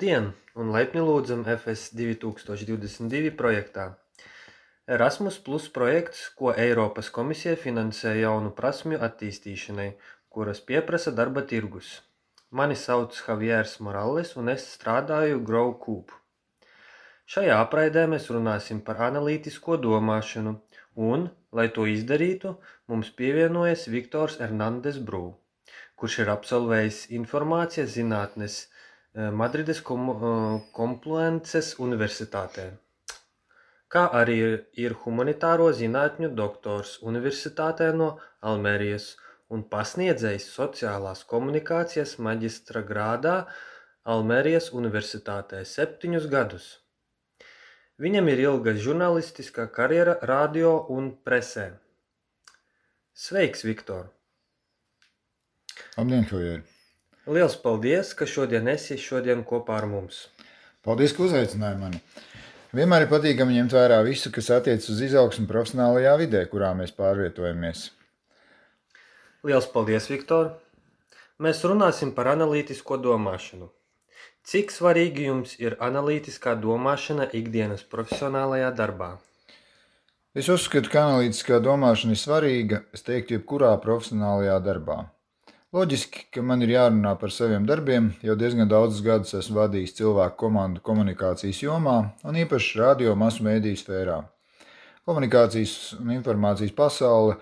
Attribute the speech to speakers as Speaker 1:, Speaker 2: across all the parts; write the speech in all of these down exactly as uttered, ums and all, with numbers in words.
Speaker 1: Labdien un laipni lūdzam F S divi tūkstoši divdesmit divi projektā. Erasmus Plus projekts, ko Eiropas komisija finansē jaunu prasmju attīstīšanai, kuras pieprasa darba tirgus. Mani sauc Javiers Morales un es strādāju GrowCoop. Šajā apraidē mēs runāsim par analītisko domāšanu un, lai to izdarītu, mums pievienojas Viktors Hernandez Brū, kurš ir absolvējis informācijas zinātnes Madrides Kompluences universitātē, kā arī ir humanitāro zinātņu doktors universitātē no Almerijas un pasniedzējs sociālās komunikācijas maģistra grādā Almerijas universitātē septiņus gadus. Viņam ir ilga žurnālistiskā karjera radio un presē. Sveiks, Viktor!
Speaker 2: Labdien, Javier!
Speaker 1: Liels paldies, ka šodien esi šodien kopā ar mums.
Speaker 2: Paldies, ka uzaicināji mani. Vienmēr ir patīkami ņemt vērā visu, kas attiec uz izaugsmu profesionālajā vidē, kurā mēs pārvietojamies.
Speaker 1: Liels paldies, Viktor! Mēs runāsim par analītisko domāšanu. Cik svarīgi jums ir analītiskā domāšana ikdienas profesionālajā darbā?
Speaker 2: Es uzskatu, ka analītiskā domāšana ir svarīga, es teiktu, jebkurā profesionālajā darbā. Loģiski, ka man ir jārunā par saviem darbiem, jau diezgan daudzus gadus esmu vadījis cilvēku komandu komunikācijas jomā un īpaši radio masu mēdīju sfērā. Komunikācijas un informācijas pasaule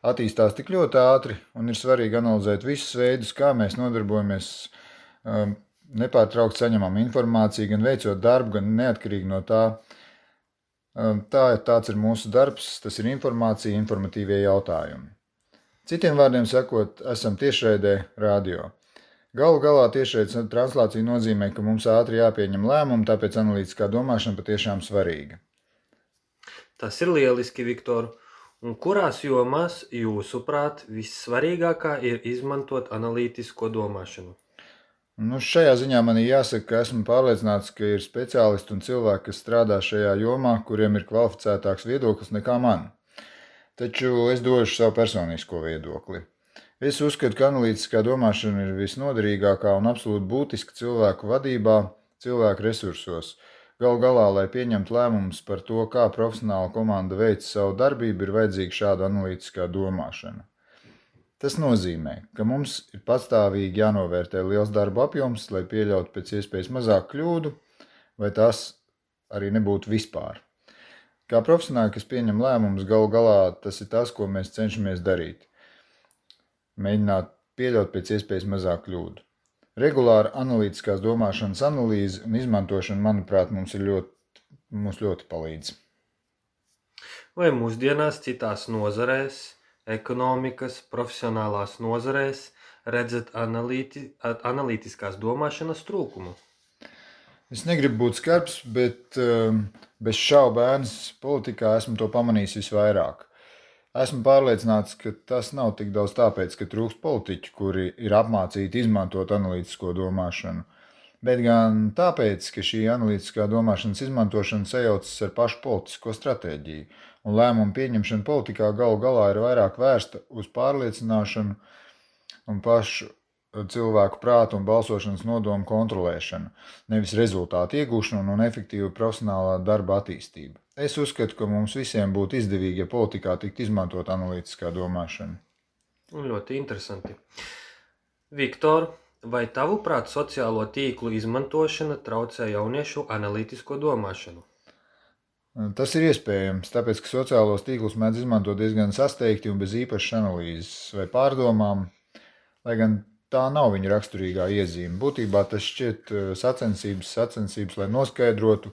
Speaker 2: attīstās tik ļoti ātri un ir svarīgi analizēt visus veidus, kā mēs nodarbojamies, um, nepārtraukt saņemam informāciju, gan veicot darbu, gan neatkarīgi no tā. Um, tā, tāds ir mūsu darbs, tas ir informācija, informatīvie jautājumi. Citiem vārdiem sakot, esam tiešraidē radio. Galu galā tiešraides translācija nozīmē, ka mums ātri jāpieņem lēmumi, tāpēc analītiskā domāšana patiešām svarīga.
Speaker 1: Tas ir lieliski, Viktor. Un kurās jomās, jūsuprāt, vissvarīgākā ir izmantot analītisko domāšanu?
Speaker 2: Nu, šajā ziņā man ir jāsaka, ka esmu pārliecināts, ka ir speciālisti un cilvēki, kas strādā šajā jomā, kuriem ir kvalificētāks viedoklis nekā man. Taču es došu savu personisko viedokli. Es uzskatu, ka analītiskā domāšana ir visnoderīgākā un absolūti būtiska cilvēku vadībā, cilvēku resursos. Galu galā, lai pieņemtu lēmumus par to, kā profesionāla komanda veic savu darbību, ir vajadzīga šāda analītiskā domāšana. Tas nozīmē, ka mums ir pastāvīgi jānovērtē liels darba apjoms, lai pieļautu pēc iespējas mazāk kļūdu, vai tās arī nebūtu vispār. Kā profesionāļi, kas pieņem lēmumus, galu galā tas ir tas, ko mēs cenšamies darīt. Mēģināt pieļaut pēc iespējas mazāk kļūdu. Regulāra analītiskās domāšanas analīze un izmantošana, manuprāt, mums ir ļoti, mums ļoti palīdz.
Speaker 1: Vai mūsdienās citās nozarēs, ekonomikas, profesionālās nozarēs redzat analīti, analītiskās domāšanas trūkumu?
Speaker 2: Es negribu būt skarbs, bet um, bez šaubēnas politikā esmu to pamanījis visvairāk. Esmu pārliecināts, ka tas nav tik daudz tāpēc, ka trūkst politiķu, kuri ir apmācīti izmantot analītisko domāšanu, bet gan tāpēc, ka šī analītiskā domāšanas izmantošana sajaucas ar pašu politisko stratēģiju, un lēmumu pieņemšana politikā galu galā ir vairāk vērsta uz pārliecināšanu un pašu cilvēku prātu un balsošanas nodomu kontrolēšanu, nevis rezultātu iegūšanu un efektīvu profesionālā darba attīstību. Es uzskatu, ka mums visiem būtu izdevīgi, ja politikā tiktu izmantot analītiskā domāšana.
Speaker 1: Ļoti interesanti. Viktor, vai tavuprāt sociālo tīklu izmantošana traucē jauniešu analītisko domāšanu?
Speaker 2: Tas ir iespējams, tāpēc, ka sociālos tīklus mēdz izmantot diezgan sasteigti un bez īpašas analīzes vai pārdomām, lai gan tā nav viņa raksturīgā iezīme. Būtībā tas šķiet sacensības, sacensības, lai noskaidrotu,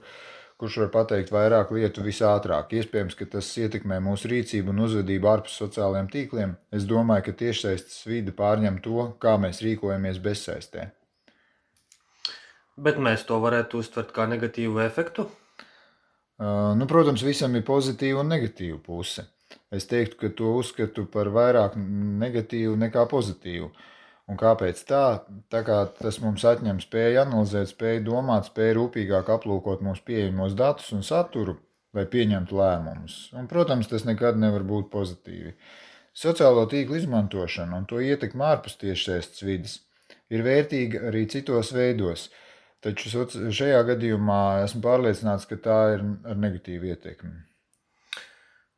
Speaker 2: kurš var pateikt vairāk lietu visātrāk. Iespējams, ka tas ietekmē mūsu rīcību un uzvedību ārpus sociālajiem tīkliem. Es domāju, ka tiešsaistes vide pārņem to, kā mēs rīkojamies bezsaistē.
Speaker 1: Bet mēs to varētu uztvert kā negatīvu efektu?
Speaker 2: Uh, nu, protams, visam ir pozitīva un negatīva puse. Es teiktu, ka to uzskatu par vairāk negatīvu nekā pozitīvu. Un kāpēc tā? Tā kā tas mums atņem spēju analizēt, spēju domāt, spēju rūpīgāk aplūkot mūsu pieejamos datus un saturu, lai pieņemtu lēmumus. Un, protams, tas nekad nevar būt pozitīvi. Sociālo tīklu izmantošana un to ietekme ārpus tiešsaistes vides ir vērtīga arī citos veidos. Taču soci- šajā gadījumā esmu pārliecināts, ka tā ir ar negatīvu ietekmi.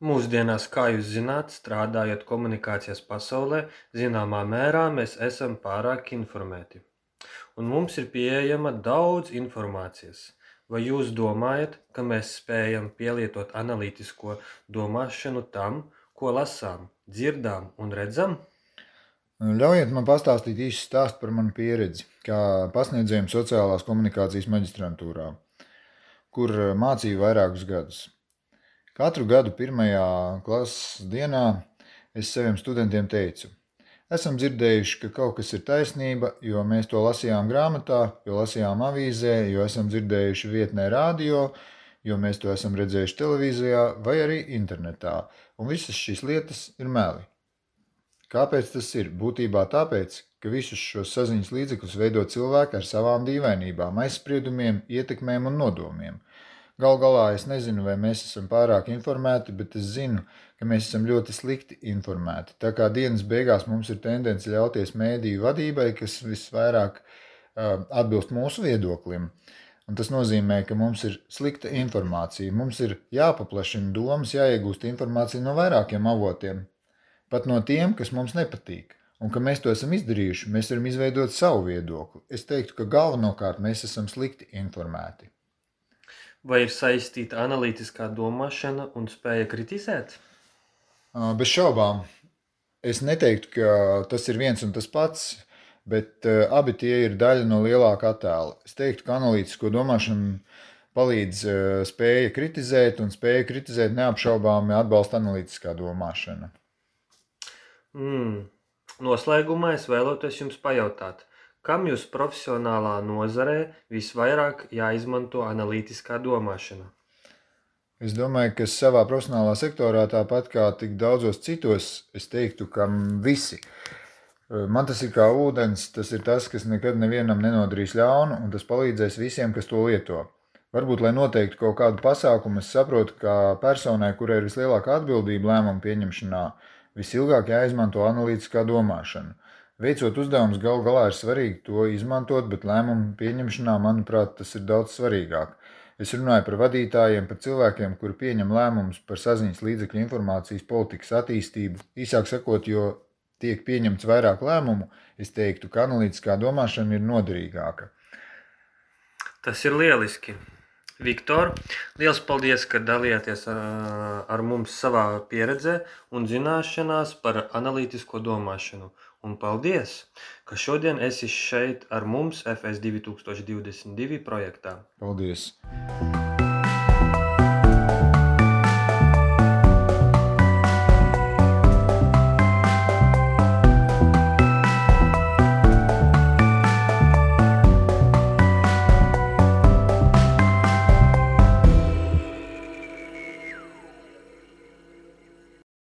Speaker 1: Mūsdienās, kā jūs zināt, strādājot komunikācijas pasaulē, zināmā mērā mēs esam pārāk informēti. Un mums ir pieejama daudz informācijas. Vai jūs domājat, ka mēs spējam pielietot analītisko domāšanu tam, ko lasām, dzirdām un redzam?
Speaker 2: Ļaujiet man pastāstīt īsi stāstu par manu pieredzi, kā pasniedzējiem sociālās komunikācijas maģistrantūrā, kur mācīju vairākus gadus. Katru gadu pirmajā klases dienā es saviem studentiem teicu: esam dzirdējuši, ka kaut kas ir taisnība, jo mēs to lasījām grāmatā, jo lasījām avīzē, jo esam dzirdējuši vietnē radio, jo mēs to esam redzējuši televīzijā vai arī internetā, un visas šīs lietas ir meli. Kāpēc tas ir? Būtībā tāpēc, ka visus šos saziņas līdzekļus veido cilvēki ar savām dīvainībām, aizspriedumiem, ietekmēm un nodomiem. Gal galā es nezinu, vai mēs esam pārāk informēti, bet es zinu, ka mēs esam ļoti slikti informēti. Tā kā dienas beigās mums ir tendence ļauties mēdīju vadībai, kas visvairāk uh, atbilst mūsu viedoklim. Un tas nozīmē, ka mums ir slikta informācija. Mums ir jāpaplašina domas, jāiegūst informācija no vairākiem avotiem. Pat no tiem, kas mums nepatīk. Un, ka mēs to esam izdarījuši, mēs varam izveidot savu viedokli. Es teiktu, ka galvenokārt mēs esam slikti informēti.
Speaker 1: Vai ir saistīta analītiskā domāšana un spēja kritizēt?
Speaker 2: Bez šaubām. Es neteiktu, ka tas ir viens un tas pats, bet abi tie ir daļa no lielāka attēla. Es teiktu, ka analītisko domāšanu palīdz spēja kritizēt, un spēja kritizēt neapšaubāmi atbalsta analītiskā domāšana.
Speaker 1: Mm. Noslēgumā es vēlētos jums pajautāt, kam jūs profesionālā nozarē visvairāk jāizmanto analītiskā domāšana?
Speaker 2: Es domāju, ka savā profesionālā sektorā, tāpat kā tik daudzos citos, es teiktu, ka visi. Man tas ir kā ūdens, tas ir tas, kas nekad nevienam nenodarīs ļaunu, un tas palīdzēs visiem, kas to lieto. Varbūt, lai noteiktu kaut kādu pasākumu, es saprotu, ka personai, kurai ir vislielākā atbildība lēmumu pieņemšanā, visilgāk jāizmanto analītiskā domāšana. Veicot uzdevumus, gal galā ir svarīgi to izmantot, bet lēmumu pieņemšanā, manuprāt, tas ir daudz svarīgāk. Es runāju par vadītājiem, par cilvēkiem, kuri pieņem lēmumus par saziņas līdzekļu informācijas politikas attīstību. Īsāk sakot, jo tiek pieņemts vairāk lēmumu, es teiktu, ka analītiskā domāšana ir noderīgāka.
Speaker 1: Tas ir lieliski. Viktor, liels paldies, ka dalījāties ar, ar mums savā pieredzē un zināšanās par analītisko domāšanu. Un paldies, ka šodien esi šeit ar mums F S divi tūkstoši divdesmit divi projektā.
Speaker 2: Paldies!